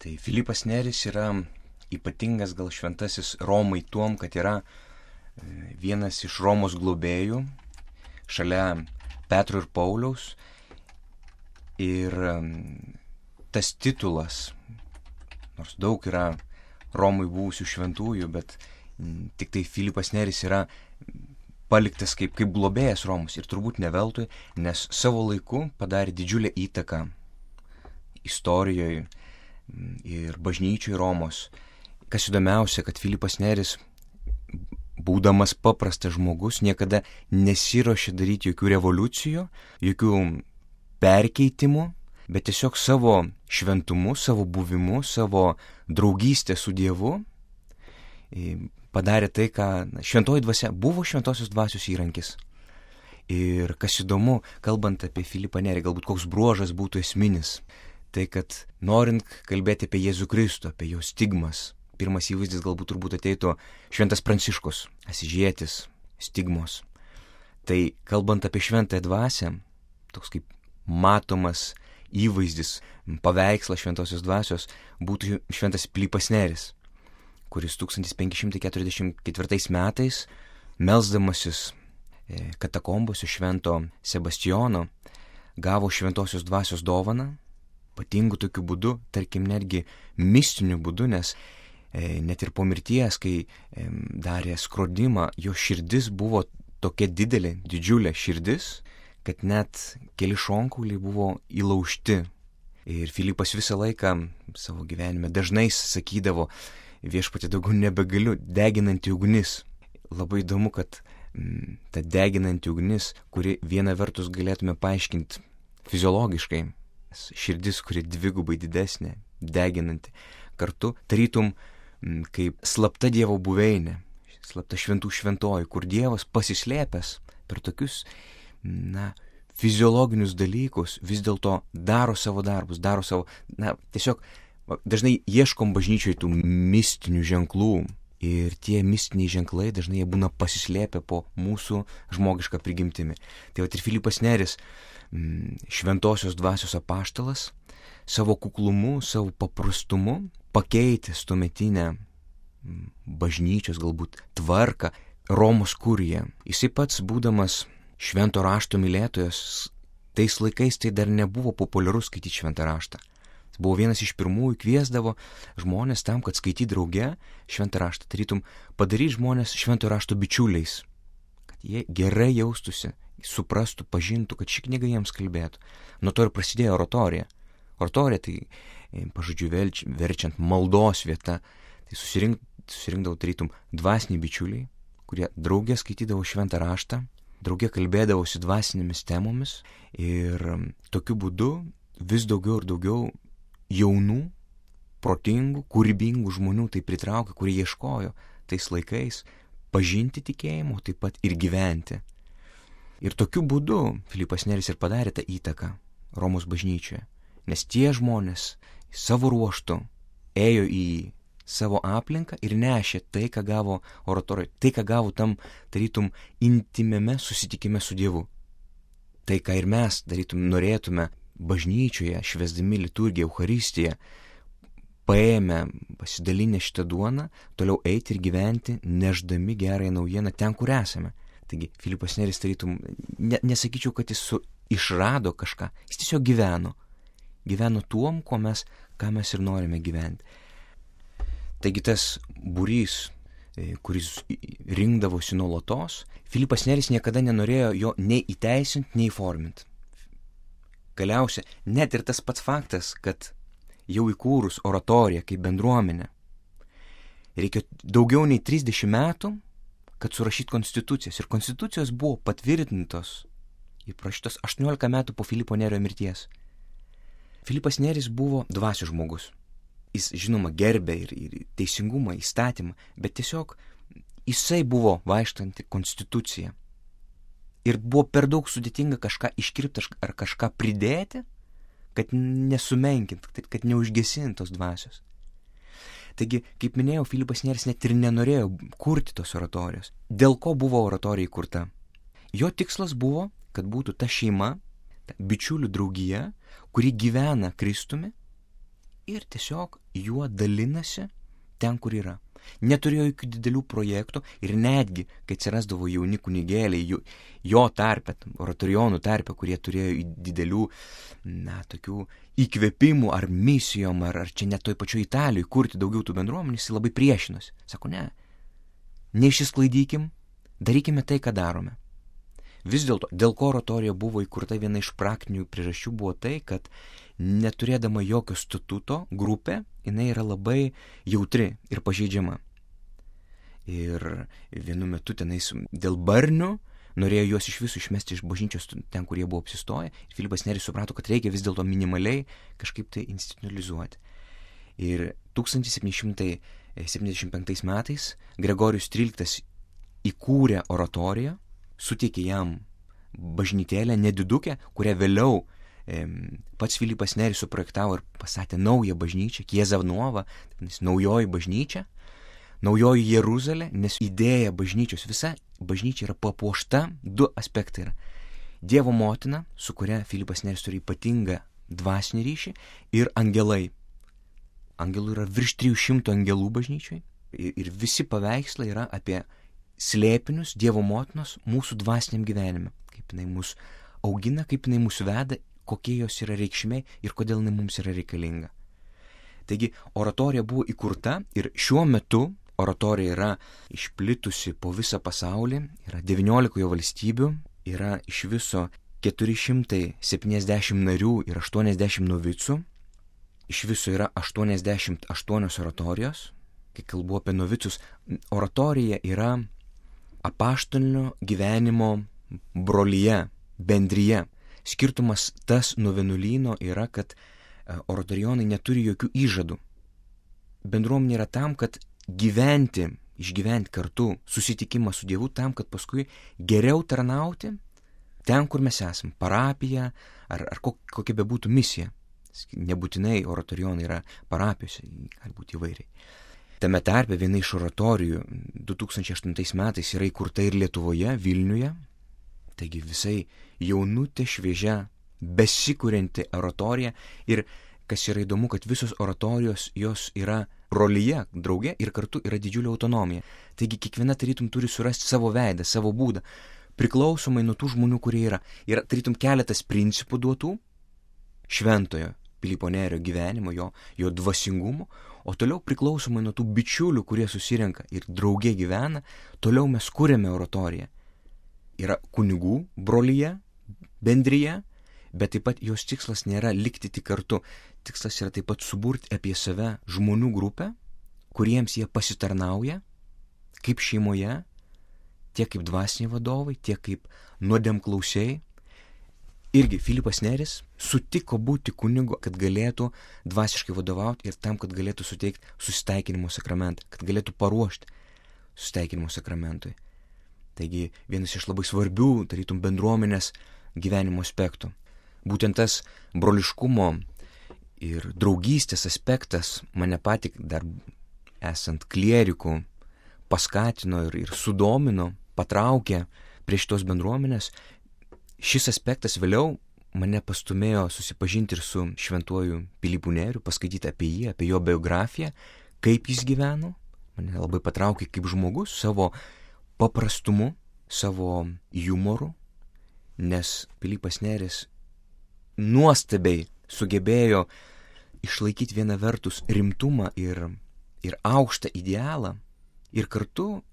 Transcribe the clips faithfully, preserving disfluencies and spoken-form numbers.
Tai Filipas Neris yra ypatingas gal šventasis Romai tuom, kad yra vienas iš Romos globėjų, šalia Petro ir Pauliaus. Ir tas titulas, nors daug yra Romui buvusių šventųjų, bet tik tai Filipas Neris yra paliktas kaip, kaip globėjas Romus. Ir turbūt ne veltui, nes savo laiku padarė didžiulę įtaką istorijoje ir bažnyčiai Romos. Kas įdomiausia, kad Filipas Neris, būdamas paprastas žmogus, niekada nesiruošė daryti jokių revoliucijų, jokių perkeitimų, bet tiesiog savo šventumu, savo buvimu, savo draugystę su Dievu padarė tai, ką šventoji dvasia buvo šventosios dvasios įrankis. Ir kas įdomu, kalbant apie Filipą Nerį, galbūt koks bruožas būtų esminis, tai kad norint kalbėti apie Jėzų Kristų, apie jo stigmas, pirmas įvaizdis galbūt turbūt ateitų šventas Pranciškus, Asyžietis, stigmos. Tai kalbant apie šventąją dvasią, toks kaip matomas įvaizdis, paveikslas šventosios dvasios būtų šventas Filipas Neris, kuris tūkstantis penki šimtai keturiasdešimt ketvirtais metais, melsdamasis katakombose švento Sebastijono, gavo šventosios dvasios dovaną, ypatingu tokiu būdu, tarkim netgi mistiniu būdu, nes e, net ir po mirties, kai e, darė skrodimą, jo širdis buvo tokia didelė, didžiulė širdis, kad net keli šonkauliai buvo įlaužti. Ir Filipas visą laiką savo gyvenime dažnai sakydavo, viešpatie daugiau nebegaliu, deginanti ugnis. Labai įdomu, kad mm, ta deginanti ugnis, kuri viena vertus galėtume paaiškinti fiziologiškai, širdis, kuri dvigubai didesnė, deginanti, kartu tarytum mm, kaip slapta Dievo buveinė, slapta šventų šventoji, kur Dievas pasislėpęs per tokius, na, fiziologinius dalykus vis dėlto daro savo darbus, daro savo, na, tiesiog dažnai ieškom bažnyčioje tų mistinių ženklų ir tie mistiniai ženklai dažnai jie būna pasislėpę po mūsų žmogišką prigimtimi. Tai vat ir Filipas Neris, šventosios dvasios apaštalas, savo kuklumu, savo paprastumu pakeitęs tuometinę bažnyčios galbūt tvarką, Romos kuriją. Jisai pats būdamas švento rašto mylėtojas, tais laikais tai dar nebuvo populiaru skaityti šventą raštą. Buvo vienas iš pirmųjų, kviesdavo žmonės tam, kad skaityt drauge šventą raštą, tarytum padaryti žmonės švento rašto bičiuliais, kad jie gerai jaustųsi, suprastų, pažintų, kad ši knyga jiems kalbėtų. Nuo to ir prasidėjo oratorija. Oratorija tai, pažodžiu, verčiant maldos vieta, tai susirink, susirinkdavo tarytum dvasiniai bičiuliai, kurie drauge skaitydavo šventą raštą, drauge kalbėdavosi dvasinėmis temomis ir tokiu būdu vis daugiau ir daugiau jaunų, protingų, kūrybingų žmonių tai pritraukia, kurie ieškojo tais laikais pažinti tikėjimo, taip pat ir gyventi. Ir tokiu būdu Filipas Neris ir padarė tą įtaką Romos bažnyčioje, nes tie žmonės savo ruožtu ėjo į savo aplinką ir nešė tai, ką gavo oratorijoje, tai, ką gavo tam, tarytum, intimiame susitikime su Dievu. Tai, ką ir mes, tarytum, norėtume bažnyčioje, švęsdami liturgiją, Eucharistiją, paėmę, pasidalinę šitą duoną, toliau eiti ir gyventi, neždami gerąją naujieną ten, kur esame. Taigi, Filipas Neris, tarytum, ne, nesakyčiau, kad jis su, išrado kažką, jis tiesiog gyveno. Gyveno tuom, ko mes, ką mes ir norime gyventi. Taigi tas būrys, kuris rinkdavosi nuolatos, Filipas Neris niekada nenorėjo jo nei įteisinti, nei įforminti. Galiausia, net ir tas pats faktas, kad jau įkūrus oratoriją kaip bendruomenę, reikia daugiau nei trisdešimt metų, kad surašyt konstitucijas. Ir konstitucijos buvo patvirtintos, įprašytos aštuoniolika metų po Filipo Nerio mirties. Filipas Neris buvo dvasios žmogus. Jis, žinoma, gerbė ir, ir teisingumą, įstatymą, bet tiesiog jisai buvo vaikštanti konstitucija. Ir buvo per daug sudėtinga kažką iškirpti ar kažką pridėti, kad nesumenkint, kad neužgesint tos dvasios. Taigi, kaip minėjau, Filipas Neris net ir nenorėjo kurti tos oratorijos. Dėl ko buvo oratorija įkurta? Jo tikslas buvo, kad būtų ta šeima, ta bičiulių draugija, kuri gyvena Kristumi ir tiesiog juo dalinasi ten, kur yra. Neturėjo jokių didelių projektų ir netgi, kai atsirasdavo jauni kunigėliai, jo, jo tarpe, oratorijonų tarpe, kurie turėjo didelių, na, tokių įkvėpimų ar misijom, ar, ar čia net toj pačioj Italijoje kurti daugiau tų bendruomenių, jis labai priešinosi. Sako, ne, neišsisklaidykim, darykime tai, ką darome. Vis dėlto, dėl ko oratorija buvo įkurta, viena iš praktinių priežasčių buvo tai, kad neturėdama jokio statuto grupė, jinai yra labai jautri ir pažeidžiama. Ir vienu metu tenais dėl barnių norėjo juos iš visų išmesti iš bažnyčios ten, kur jie buvo apsistoję. Ir Filipas Neris suprato, kad reikia vis dėlto minimaliai kažkaip tai institucionalizuoti. Ir tūkstantis septyni šimtai septyniasdešimt penktais metais Gregorijus tryliktas įkūrė oratoriją, suteikė jam bažnytėlę nedidukę, kurią vėliau e, pats Filipas Neris suprojektavo ir pastatė naują bažnyčią, Chiesa Nuova, naujoji bažnyčia, naujoji Jeruzalė, nes idėja bažnyčios, visa bažnyčia yra papuošta, du aspektai yra. Dievo motina, su kuria Filipas Neris turi ypatingą dvasinį ryšį, ir angelai. Angelų yra virš trijų šimtų angelų bažnyčiai ir, ir visi paveikslai yra apie slėpinius Dievo motinos mūsų dvasiniam gyvenime. Kaip jinai mus augina, kaip jinai mus veda, kokie jos yra reikšmė ir kodėl jinai mums yra reikalinga. Taigi oratorija buvo įkurta ir šiuo metu oratorija yra išplitusi po visą pasaulį, yra devyniolikoje valstybių, yra iš viso keturi šimtai septyniasdešimt narių ir aštuoniasdešimt novicų, iš viso yra aštuoniasdešimt aštuonios oratorijos. Kai kalbu apie novicus, oratorija yra apaštalinio gyvenimo brolyje, bendryje. Skirtumas tas nuo vienuolyno yra, kad oratorijonai neturi jokių įžadų. Bendruomenė yra tam, kad gyventi, išgyventi kartu susitikimą su Dievu, tam, kad paskui geriau tarnauti ten, kur mes esame, parapija ar, ar kokia bebūtų misija. Nebūtinai oratorijonai yra parapijose, gali būti įvairiai. Tame tarpe viena iš oratorijų du tūkstančiai aštuntais metais yra įkurta ir Lietuvoje, Vilniuje. Taigi visai jaunutė, šviežia, besikurianti oratorija. Ir kas yra įdomu, kad visos oratorijos jos yra rolyje, drauge ir kartu yra didžiulė autonomija. Taigi kiekviena tarytum turi surasti savo veidą, savo būdą, priklausomai nuo tų žmonių, kurie yra. Yra tarytum keletas principų duotų šventojo Pilypo Nerio gyvenimo, jo, jo dvasingumo, o toliau priklausomai nuo tų bičiulių, kurie susirenka ir drauge gyvena, toliau mes kūrėme oratoriją. Yra kunigų brolyje, bendryje, bet taip pat jos tikslas nėra likti tik kartu. Tikslas yra taip pat suburti apie save žmonių grupę, kuriems jie pasitarnauja, kaip šeimoje, tiek kaip dvasiniai vadovai, tiek kaip nuodėmklausiai. Irgi Filipas Neris sutiko būti kunigu, kad galėtų dvasiškai vadovauti ir tam, kad galėtų suteikti susitaikinimo sakramentą, kad galėtų paruošti susitaikinimo sakramentui. Taigi vienas iš labai svarbių, tarytum, bendruomenės gyvenimo aspektų. Būtent tas broliškumo ir draugystės aspektas mane patį dar esant klieriku paskatino ir, ir sudomino, patraukė prie šitos bendruomenės. Šis aspektas vėliau mane pastumėjo susipažinti ir su šventuoju Pilypu Neriu, paskaityti apie jį, apie jo biografiją, kaip jis gyveno. Mane labai patraukė kaip žmogus savo paprastumu, savo jumoru, nes Pilypas Neris nuostabiai sugebėjo išlaikyti vieną vertus rimtumą ir, ir aukštą idealą ir kartu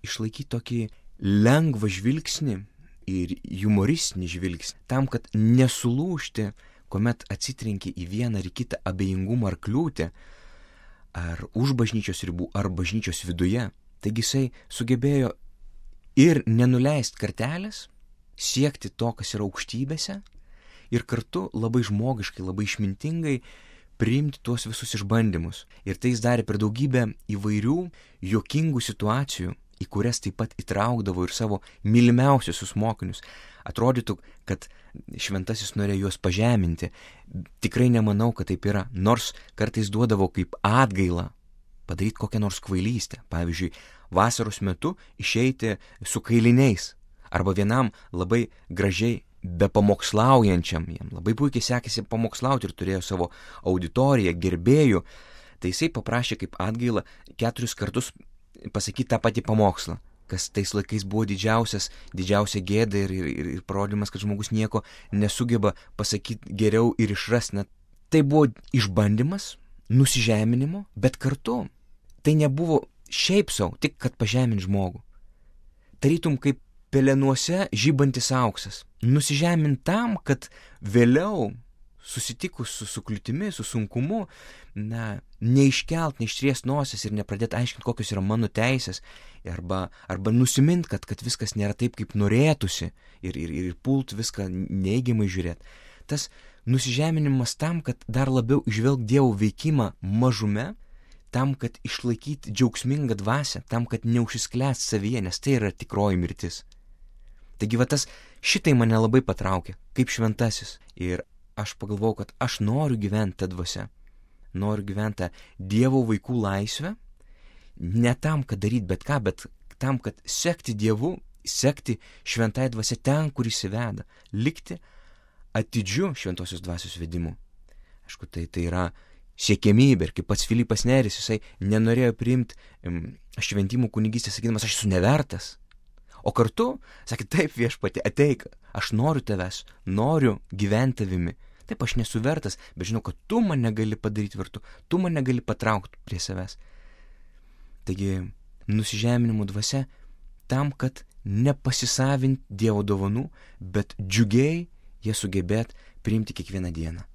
išlaikyti tokį lengvą žvilgsnį ir humoristinį žvilgsnį, tam, kad nesulūžti, kuomet atsitrenki į vieną ar kitą abejingumą ar kliūtį, ar už bažnyčios ribų, ar bažnyčios viduje. Taigi jisai sugebėjo ir nenuleisti kartelės, siekti to, kas yra aukštybėse, ir kartu labai žmogiškai, labai išmintingai priimti tuos visus išbandymus. Ir tai jis darė per daugybę įvairių juokingų situacijų, į kurias taip pat įtraukdavo ir savo mylimiausius mokinius. Atrodytų, kad šventasis norėjo juos pažeminti. Tikrai nemanau, kad taip yra. Nors kartais duodavo kaip atgailą padaryti kokią nors kvailystę. Pavyzdžiui, vasaros metu išeiti su kailiniais. Arba vienam labai gražiai be pamokslaujančiam, jam labai puikiai sekėsi pamokslauti ir turėjo savo auditoriją, gerbėjų, tai jisai paprašė kaip atgailą keturis kartus pasakyti tą patį pamokslą, kas tais laikais buvo didžiausias, didžiausia gėda ir, ir, ir parodymas, kad žmogus nieko nesugeba pasakyti geriau ir išrasti. Net tai buvo išbandymas, nusižeminimo, bet kartu tai nebuvo šiaip savo, tik kad pažemint žmogų. Tarytum kaip pelenuose žybantis auksas. Nusižemint tam, kad vėliau susitikus su, su kliūtimi, su sunkumu, na, neiškelt, neištriest nosis ir nepradėti aiškinti, kokios yra mano teisės, arba, arba nusimint, kad, kad viskas nėra taip, kaip norėtųsi ir, ir, ir pult viską neigiamai žiūrėti. Tas nusižeminimas tam, kad dar labiau išvelgt Dievo veikimą mažume, tam, kad išlaikyti džiaugsmingą dvasią, tam, kad neužsisklęst savyje, nes tai yra tikroji mirtis. Taigi va tas šitai mane labai patraukė, kaip šventasis. Ir aš pagalvojau, kad aš noriu gyventi tą dvasią. Noriu gyventi Dievo vaikų laisvę, ne tam, kad daryti bet ką, bet tam, kad sekti Dievu, sekti šventai dvasia ten, kur jis įveda, likti atidžiu šventosios dvasios vedimu. Aišku, tai, tai yra siekiamybė, ir kaip pats Filipas Neris, jisai nenorėjo priimti um, šventimų kunigystės, sakydamas, aš esu nevertas. O kartu, sakė, taip viešpatie, ateik, aš noriu tavęs, noriu gyventi tavimi. Taip, aš nesu vertas, bet žinau, kad tu mane gali padaryti vertu, tu mane gali patraukti prie savęs. Taigi, nusižeminimo dvasia tam, kad nepasisavinti Dievo dovanų, bet džiugiai jie sugebėt priimti kiekvieną dieną.